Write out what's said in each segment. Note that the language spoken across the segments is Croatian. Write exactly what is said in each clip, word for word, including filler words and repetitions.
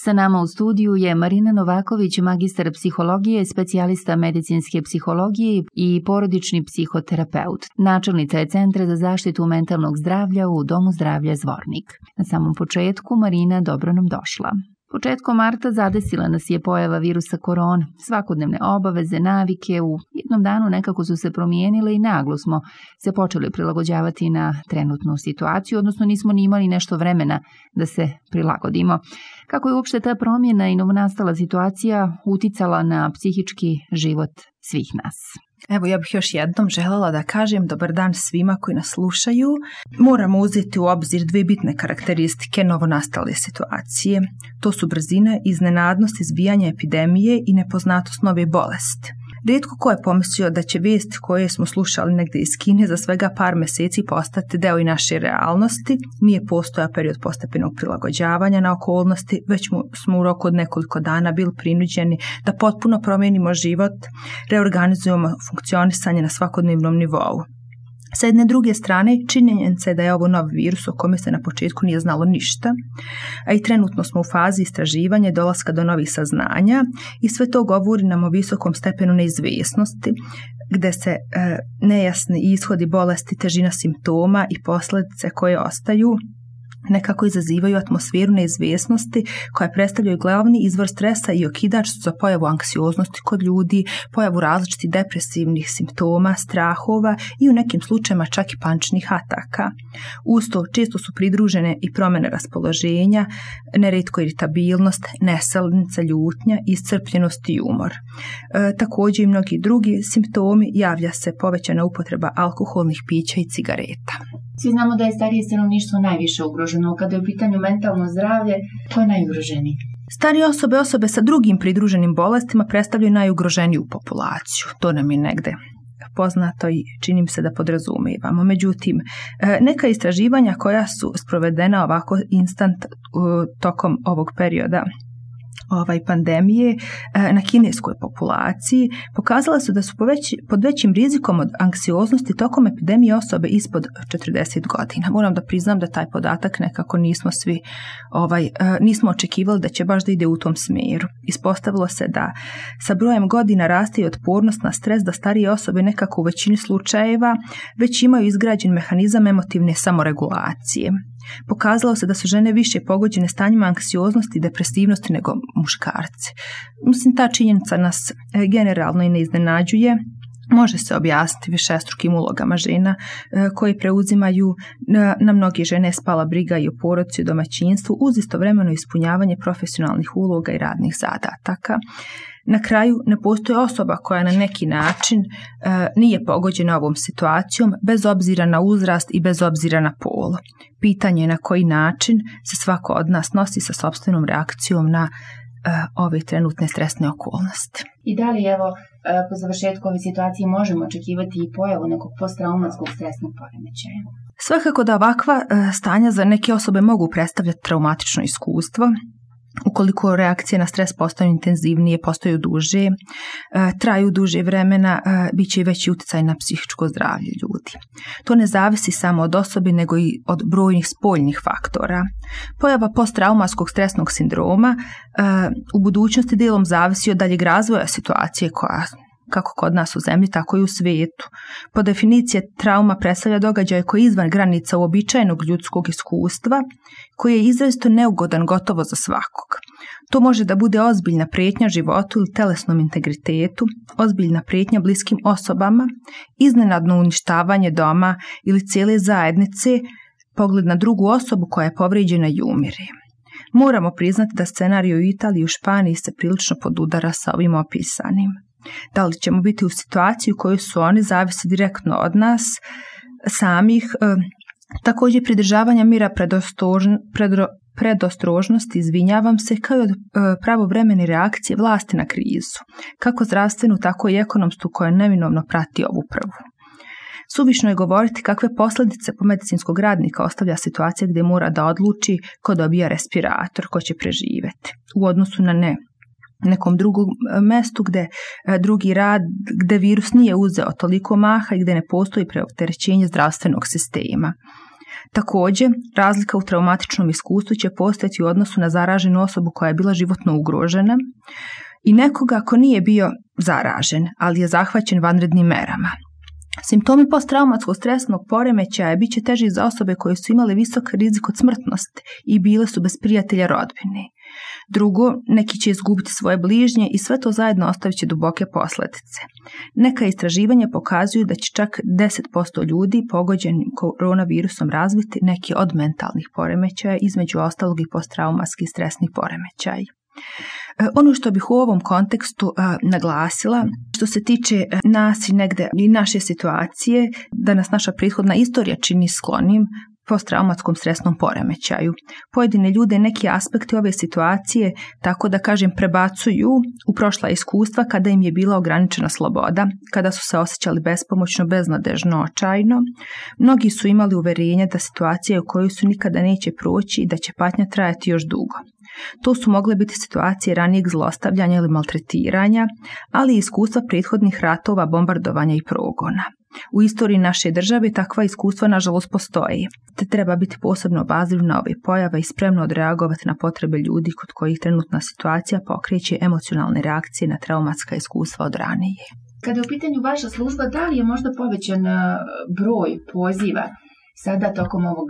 Sa nama u studiju je Marina Novaković, magistar psihologije, specijalista medicinske psihologije i porodični psihoterapeut. Načelnica je Centra za zaštitu mentalnog zdravlja u Domu zdravlja Zvornik. Na samom početku, Marina, dobro nam došla. Početkom marta zadesila nas je pojava virusa korona. Svakodnevne obaveze, navike u jednom danu nekako su se promijenile i naglo smo se počeli prilagođavati na trenutnu situaciju, odnosno nismo ni imali nešto vremena da se prilagodimo. Kako je uopšte ta promjena i novonastala situacija uticala na psihički život svih nas? Evo, ja bih još jednom željela da kažem dobar dan svima koji nas slušaju. Moramo uzeti u obzir dvije bitne karakteristike novonastale situacije. To su brzina, iznenadnost izbijanja epidemije i nepoznatost nove bolesti. Rijetko ko je pomislio da će vijesti koje smo slušali negdje iz Kine za svega par mjeseci postati deo i naše realnosti. Nije postojao period postepenog prilagođavanja na okolnosti, već smo u roku od nekoliko dana bili prinuđeni da potpuno promijenimo život, reorganizujemo funkcionisanje na svakodnevnom nivou. Sa jedne druge strane, činjenica je da je ovo nov virus o kome se na početku nije znalo ništa, a i trenutno smo u fazi istraživanja i dolaska do novih saznanja i sve to govori nam o visokom stepenu neizvjesnosti, gdje se e, nejasni ishodi bolesti, težina simptoma i posljedice koje ostaju nekako izazivaju atmosferu neizvjesnosti koja predstavljaju glavni izvor stresa i okidač za pojavu anksioznosti kod ljudi, pojavu različitih depresivnih simptoma, strahova i u nekim slučajevima čak i paničnih ataka. Uz to često su pridružene i promjene raspoloženja, nerijetko iritabilnost, neselnica, ljutnja, iscrpljenost i umor. E, također i mnogi drugi simptomi, javlja se povećana upotreba alkoholnih pića i cigareta. Svi znamo da je starije stanovništvo najviše ugroženo. Kada je u pitanju mentalno zdravlje, ko je najugroženiji? Starije osobe, osobe sa drugim pridruženim bolestima predstavljaju najugroženiju populaciju. To nam je negde poznato i čini mi se da podrazumijevamo. Međutim, neka istraživanja koja su sprovedena ovako instant tokom ovog perioda ovaj pandemije na kineskoj populaciji pokazala su da su poveć, pod većim rizikom od anksioznosti tokom epidemije osobe ispod četrdeset godina. Moram da priznam da taj podatak nekako nismo svi ovaj, nismo očekivali da će baš da ide u tom smjeru. Ispostavilo se da sa brojem godina raste i otpornost na stres, da starije osobe nekako u većini slučajeva već imaju izgrađen mehanizam emotivne samoregulacije. Pokazalo se da su žene više pogođene stanjima anksioznosti i depresivnosti nego muškarci. Mislim, ta činjenica nas generalno i ne iznenađuje. Može se objasniti višestrukim ulogama žena koje preuzimaju na mnoge žene spala briga i o porodici i domaćinstvu uz istovremeno ispunjavanje profesionalnih uloga i radnih zadataka. Na kraju, ne postoji osoba koja na neki način e, nije pogođena ovom situacijom bez obzira na uzrast i bez obzira na pol. Pitanje je na koji način se svako od nas nosi sa sopstvenom reakcijom na e, ove trenutne stresne okolnosti. I da li evo po završetku ove situacije možemo očekivati i pojavu nekog posttraumatskog stresnog poremećaja? Svakako da ovakva e, stanja za neke osobe mogu predstavljati traumatično iskustvo. Ukoliko reakcije na stres postaju intenzivnije, postaju duže, traju duže vremena, bit će i veći utjecaj na psihičko zdravlje ljudi. To ne zavisi samo od osobe, nego i od brojnih spoljnih faktora. Pojava posttraumatskog stresnog sindroma u budućnosti dijelom zavisi od daljeg razvoja situacije koja kako kod nas u zemlji, tako i u svijetu. Po definiciji trauma predstavlja događaj koji je izvan granica uobičajenog ljudskog iskustva, koji je izrazito neugodan gotovo za svakog. To može da bude ozbiljna prijetnja životu ili telesnom integritetu, ozbiljna prijetnja bliskim osobama, iznenadno uništavanje doma ili cijele zajednice, pogled na drugu osobu koja je povrijeđena i umire. Moramo priznati da scenarij u Italiji i u Španiji se prilično podudara sa ovim opisanim. Da li ćemo biti u situaciji u kojoj su oni zavisi direktno od nas samih, e, također pridržavanja mira predostrožn, predro, predostrožnosti, izvinjavam se, kao i od e, pravovremene reakcije vlasti na krizu, kako zdravstvenu, tako i ekonomsku koja neminovno prati ovu prvu. Suvišno je govoriti kakve posljedice po medicinskog radnika ostavlja situacija gdje mora da odluči ko dobija respirator, ko će preživjeti, u odnosu na ne nekom drugom mjestu gdje drugi rad, gdje virus nije uzeo toliko maha i gdje ne postoji preopterećenje zdravstvenog sistema. Također, razlika u traumatičnom iskustvu će postojati u odnosu na zaraženu osobu koja je bila životno ugrožena i nekoga ko nije bio zaražen, ali je zahvaćen vanrednim merama. Simptomi posttraumatskog stresnog poremećaja bit će teži za osobe koje su imale visok rizik od smrtnosti i bile su bez prijatelja rodbine. Drugo, neki će izgubiti svoje bližnje i sve to zajedno ostavit će duboke posljedice. Neka istraživanja pokazuju da će čak deset posto ljudi pogođenim koronavirusom razviti neki od mentalnih poremećaja, između ostalog i posttraumatski stresni poremećaj. Ono što bih u ovom kontekstu a, naglasila, što se tiče nas i negde i naše situacije, da nas naša prethodna istorija čini sklonim posttraumatskom stresnom poremećaju. Pojedine ljude neki aspekti ove situacije, tako da kažem, prebacuju u prošla iskustva kada im je bila ograničena sloboda, kada su se osjećali bespomoćno, beznadežno, očajno. Mnogi su imali uverenje da situacija u kojoj su nikada neće proći i da će patnja trajati još dugo. To su mogle biti situacije ranijeg zlostavljanja ili maltretiranja, ali i iskustva prethodnih ratova, bombardovanja i progona. U istoriji naše države takva iskustva nažalost postoji, te treba biti posebno obazriv na ove pojave i spremno odreagovati na potrebe ljudi kod kojih trenutna situacija pokreće emocionalne reakcije na traumatska iskustva od ranije. Kada je u pitanju vaša služba, da li je možda povećan broj poziva sada tokom ovog,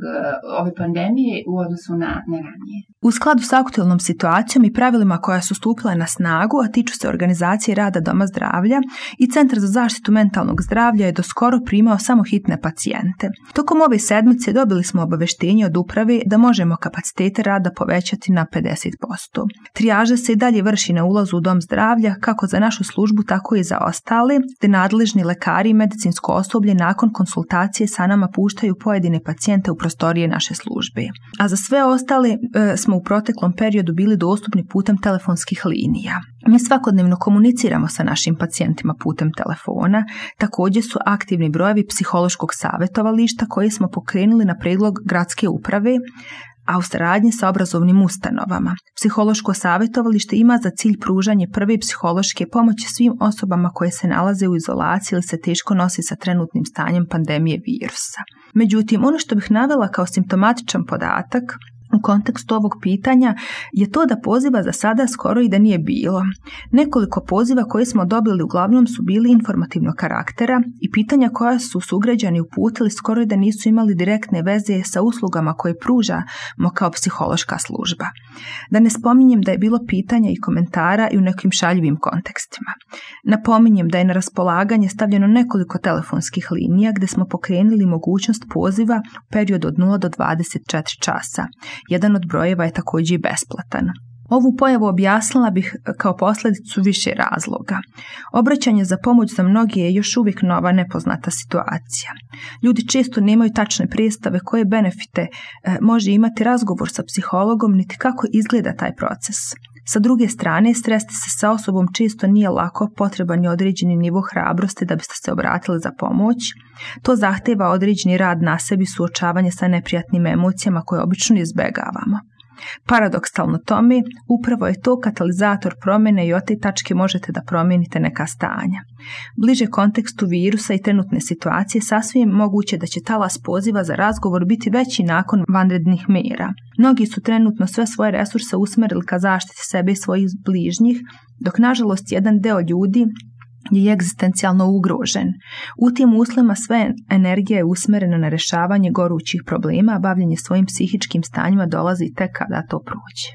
ove pandemije u odnosu na, na ranije? U skladu s aktualnom situacijom i pravilima koja su stupila na snagu, a tiču se organizacije rada Doma zdravlja, i Centar za zaštitu mentalnog zdravlja je doskoro primao samo hitne pacijente. Tokom ove sedmice dobili smo obaveštenje od uprave da možemo kapacitete rada povećati na pedeset posto. Trijaža se i dalje vrši na ulazu u Dom zdravlja, kako za našu službu, tako i za ostale, te nadležni lekari i medicinsko osoblje nakon konsultacije sa nama puštaju pojedine pacijente u prostorije naše službe. A za sve ostale e, smo u proteklom periodu bili dostupni putem telefonskih linija. Mi svakodnevno komuniciramo sa našim pacijentima putem telefona, također su aktivni brojevi psihološkog savjetovališta koje smo pokrenuli na prijedlog gradske uprave, a u saradnji sa obrazovnim ustanovama. Psihološko savjetovalište ima za cilj pružanje prve psihološke pomoći svim osobama koje se nalaze u izolaciji ili se teško nosi sa trenutnim stanjem pandemije virusa. Međutim, ono što bih navela kao simptomatičan podatak u kontekstu ovog pitanja je to da poziva za sada skoro i da nije bilo. Nekoliko poziva koje smo dobili uglavnom su bili informativnog karaktera i pitanja koja su sugrađani uputili skoro i da nisu imali direktne veze sa uslugama koje pružamo kao psihološka služba. Da ne spominjem da je bilo pitanja i komentara i u nekim šaljivim kontekstima. Napominjem da je na raspolaganje stavljeno nekoliko telefonskih linija gdje smo pokrenuli mogućnost poziva u periodu od nula do dvadeset četiri časa. Jedan od brojeva je također i besplatan. Ovu pojavu objasnila bih kao posljedicu više razloga. Obraćanje za pomoć za mnoge je još uvijek nova, nepoznata situacija. Ljudi često nemaju tačne predstave koje benefite e, može imati razgovor sa psihologom, niti kako izgleda taj proces. Sa druge strane, sresti se sa osobom često nije lako, potreban je određeni nivo hrabrosti da biste se obratili za pomoć. To zahteva određeni rad na sebi, suočavanje sa neprijatnim emocijama koje obično izbjegavamo. Paradoksalno tome, upravo je to katalizator promjene i od te tačke možete da promijenite neka stanja. Bliže kontekstu virusa i trenutne situacije sasvim moguće da će talas poziva za razgovor biti veći nakon vanrednih mjera. Mnogi su trenutno sve svoje resurse usmjerili ka zaštiti sebe i svojih bližnjih, dok nažalost jedan deo ljudi je egzistencijalno ugrožen. U tim uslovima sve energija je usmjerena na rješavanje gorućih problema, a bavljenje svojim psihičkim stanjima dolazi tek kada to prođe.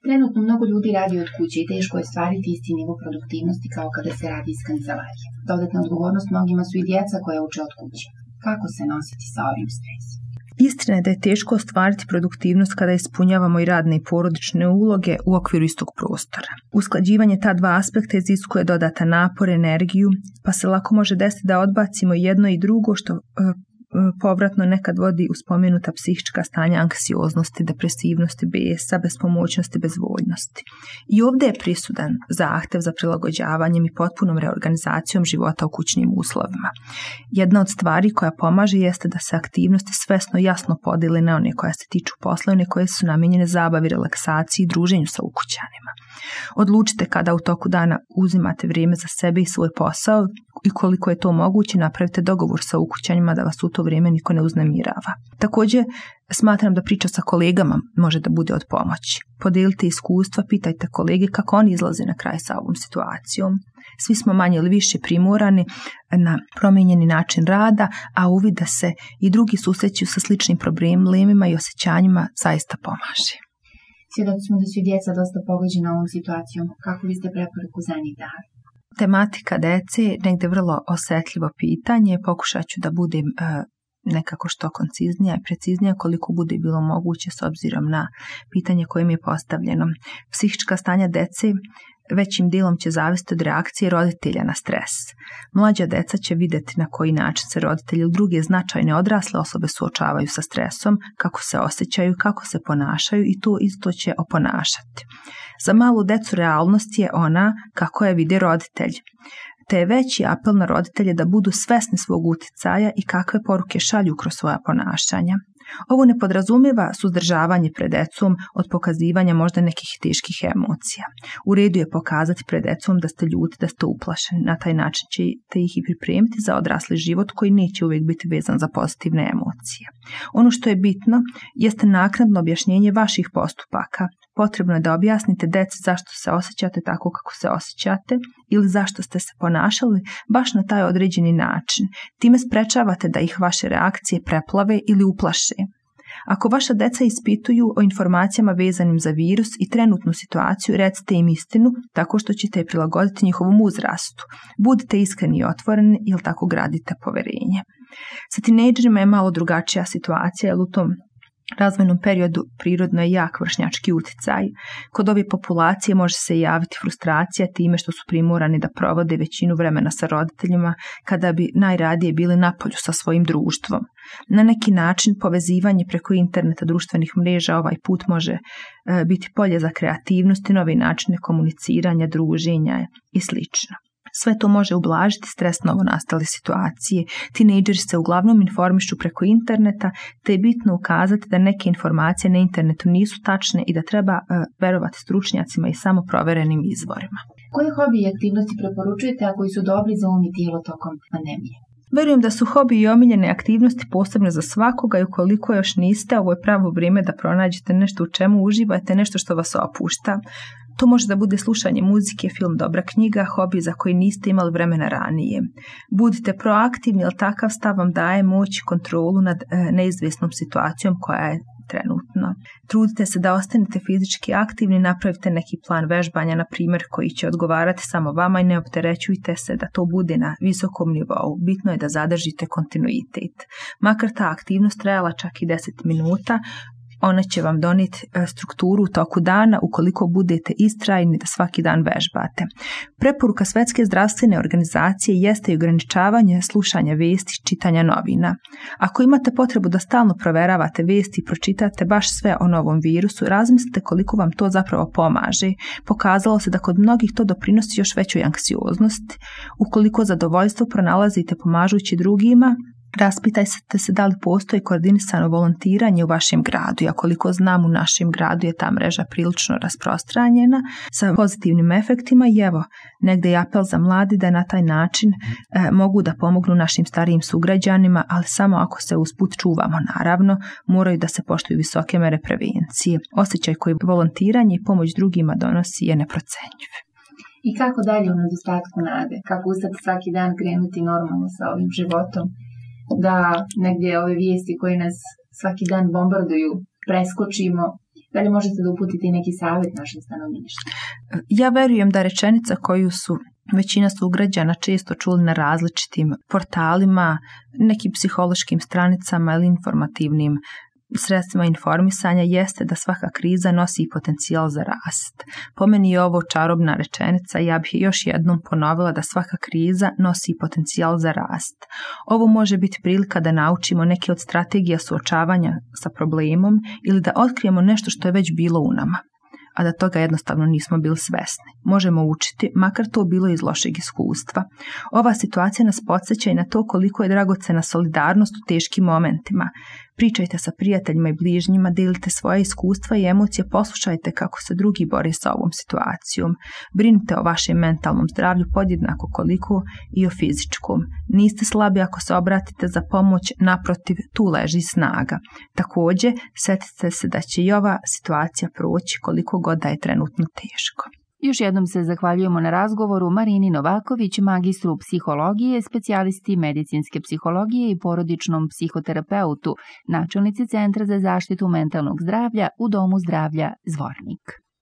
Trenutno mnogo ljudi radi od kuće i teško je stvariti isti nivo produktivnosti kao kada se radi iz kancelarije. Dodatna odgovornost mnogima su i djeca koja uče od kuće. Kako se nositi sa ovim stresom? Istina je da je teško ostvariti produktivnost kada ispunjavamo i radne i porodične uloge u okviru istog prostora. Usklađivanje ta dva aspekta iziskuje dodatan napor, energiju, pa se lako može desiti da odbacimo jedno i drugo, što povratno nekad vodi u spomenuta psihička stanja anksioznosti, depresivnosti, bijesa, bespomoćnosti, bezvoljnosti. I ovdje je prisudan zahtjev za prilagođavanjem i potpunom reorganizacijom života u kućnim uslovima. Jedna od stvari koja pomaže jeste da se aktivnosti svesno jasno podijele na one koje se tiču posla i one koje su namijenjene zabavi, relaksaciji i druženju sa ukućanima. Odlučite kada u toku dana uzimate vrijeme za sebe i svoj posao i koliko je to moguće napravite dogovor sa ukućanjima da vas u to vrijeme niko ne uznemirava. Također, smatram da priča sa kolegama može da bude od pomoći. Podijelite iskustva, pitajte kolege kako oni izlaze na kraj sa ovom situacijom. Svi smo manje ili više primorani na promijenjeni način rada, a uvid da se i drugi susreću sa sličnim problemima i osjećanjima zaista pomaže. Svjedoci smo da su djeca dosta pogođena ovom situacijom. Kako biste preporuku za njih dali? Tematika dece je negdje vrlo osjetljivo pitanje. Pokušat ću da budem uh, nekako što konciznija i preciznija koliko bude bilo moguće s obzirom na pitanje koje mi je postavljeno. Psihička stanja dece većim dijelom će zavisiti od reakcije roditelja na stres. Mlađa deca će vidjeti na koji način se roditelji ili druge značajne odrasle osobe suočavaju sa stresom, kako se osjećaju, kako se ponašaju i to isto će oponašati. Za malu decu realnost je ona kako je vide roditelj. Te je veći apel na roditelje da budu svesni svog utjecaja i kakve poruke šalju kroz svoja ponašanja. Ovo ne podrazumijeva suzdržavanje pred decom od pokazivanja možda nekih teških emocija. U redu je pokazati pred decom da ste ljuti, da ste uplašeni. Na taj način ćete ih i pripremiti za odrasli život koji neće uvijek biti vezan za pozitivne emocije. Ono što je bitno jeste naknadno objašnjenje vaših postupaka. Potrebno je da objasnite deci zašto se osjećate tako kako se osjećate ili zašto ste se ponašali baš na taj određeni način. Time sprečavate da ih vaše reakcije preplave ili uplaše. Ako vaša deca ispituju o informacijama vezanim za virus i trenutnu situaciju, recite im istinu tako što ćete je prilagoditi njihovom uzrastu. Budite iskreni i otvoreni jer tako gradite poverenje. Sa tinejdžerima je malo drugačija situacija jer u tom razvojnom periodu prirodno je jak vršnjački utjecaj. Kod ove populacije može se javiti frustracija time što su primorani da provode većinu vremena sa roditeljima kada bi najradije bili napolju sa svojim društvom. Na neki način povezivanje preko interneta, društvenih mreža ovaj put može e, biti polje za kreativnost i nove načine komuniciranja, druženja i slično. Sve to može ublažiti stres novonastale situacije. Tinejdžeri se uglavnom informišu preko interneta, te je bitno ukazati da neke informacije na internetu nisu tačne i da treba uh, verovati stručnjacima i samo proverenim izvorima. Koje hobi i aktivnosti preporučujete, a koji su dobri za um i tijelo tokom pandemije? Verujem da su hobi i omiljene aktivnosti posebno za svakoga i ukoliko još niste, ovo je pravo vrijeme da pronađete nešto u čemu uživate, nešto što vas opušta. To može da bude slušanje muzike, film, dobra knjiga, hobi za koji niste imali vremena ranije. Budite proaktivni, jer takav stav vam daje moć i kontrolu nad e, neizvjesnom situacijom koja je trenutno. Trudite se da ostanete fizički aktivni, napravite neki plan vežbanja, na primjer, koji će odgovarati samo vama i ne opterećujte se da to bude na visokom nivou. Bitno je da zadržite kontinuitet. Makar ta aktivnost trajala čak i deset minuta, ona će vam donijeti strukturu u toku dana ukoliko budete istrajni da svaki dan vežbate. Preporuka Svjetske zdravstvene organizacije jeste i ograničavanje slušanja vijesti, čitanja novina. Ako imate potrebu da stalno proveravate vijesti i pročitate baš sve o novom virusu, razmislite koliko vam to zapravo pomaže. Pokazalo se da kod mnogih to doprinosi još većoj anksioznosti. Ukoliko zadovoljstvo pronalazite pomažući drugima, raspitajte se da li postoji koordinisano volontiranje u vašem gradu. Ja koliko znam, u našem gradu je ta mreža prilično rasprostranjena sa pozitivnim efektima i evo, negdje je apel za mladi da na taj način e, mogu da pomognu našim starijim sugrađanima, ali samo ako se usput čuvamo, naravno, moraju da se poštuju visoke mere prevencije. Osjećaj koji volontiranje i pomoć drugima donosi je neprocenjiv. I kako dalje u nedostatku nade? Kako ustati svaki dan, krenuti normalno sa ovim životom? Da negdje ove vijesti koje nas svaki dan bombarduju preskočimo, da li možete da uputite neki savjet našim stanovništvu? Ja verujem da rečenica koju su većina sugrađana često čuli na različitim portalima, nekim psihološkim stranicama ili informativnim sredstvima informisanja jeste da svaka kriza nosi i potencijal za rast. Po meni je ovo čarobna rečenica i ja bih još jednom ponovila da svaka kriza nosi i potencijal za rast. Ovo može biti prilika da naučimo neke od strategija suočavanja sa problemom ili da otkrijemo nešto što je već bilo u nama, a da toga jednostavno nismo bili svesni. Možemo učiti, makar to bilo iz lošeg iskustva. Ova situacija nas podsjeća i na to koliko je dragocena solidarnost u teškim momentima. Pričajte sa prijateljima i bližnjima, delite svoje iskustva i emocije, poslušajte kako se drugi bore sa ovom situacijom. Brinite o vašem mentalnom zdravlju podjednako koliko i o fizičkom. Niste slabi ako se obratite za pomoć, naprotiv, tu leži snaga. Također, setite se da će i ova situacija proći koliko god da je trenutno teško. Još jednom se zahvaljujemo na razgovoru Marini Novaković, magistru psihologije, specijalisti medicinske psihologije i porodičnom psihoterapeutu, načelnici Centra za zaštitu mentalnog zdravlja u Domu zdravlja Zvornik.